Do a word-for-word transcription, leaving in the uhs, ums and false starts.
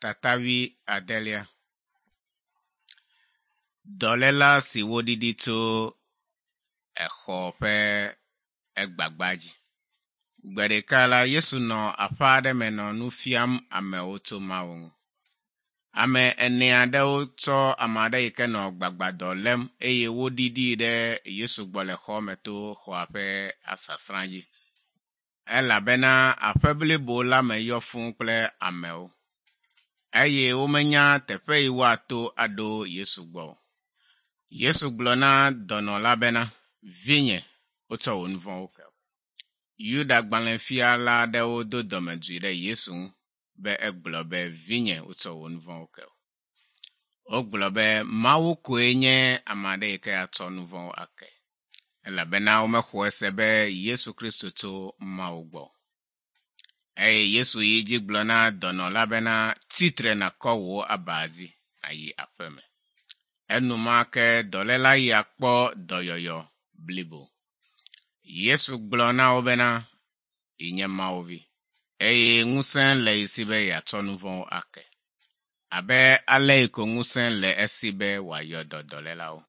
Tata wuiadelia. Dɔléla si woɖiɖi tso exɔ ƒe egbagba dzi. Gbe ɖeka la Yesu nɔ aƒe aɖe me nɔ nu fiam amewo tso Mawu ŋu. Ame ene aɖewo tsɔ ame aɖe yi ke nɔ gbagbadɔ lém eye woɖiɖii ɖe Yesu gbɔ le xɔ me to xɔa ƒe asasra dzi elabena aƒe blibo la me yɔ fũu kple amewo eye womenya teƒe yi woato aɖo Yesu gbɔ o. Yesu gblɔ na dɔnɔ la bena, “Vinye, wotsɔ wò nu vɔ̃wo ke wò.” Yuda gbalẽfiala aɖewo do dɔmedzoe ɖe Yesu ŋu be egblɔ be, “Vinye, wotsɔ wò nu vɔ̃wo ke wò.” Wogblɔ be Mawu koe nye ame aɖe yi ke atsɔ nu vɔ̃wo ake elabena womexɔe se be Yesu Kristo tso Mawu gbɔ. Eye Yesu yi edzi gblɔ na dɔnɔ la bena, “Tsitre nàkɔ wò aba dzi nàyi aƒeme.” Enumake dɔléla ya kpɔ dɔyɔyɔ blibo. Yesu gblɔ na wo bena, “Yenye Mawu vi eye ŋusẽ le ye si be yeatsɔ nu vɔ̃wo ake abe ale yi ko ŋusẽ le esi be wòayɔ dɔ dɔlélawo.”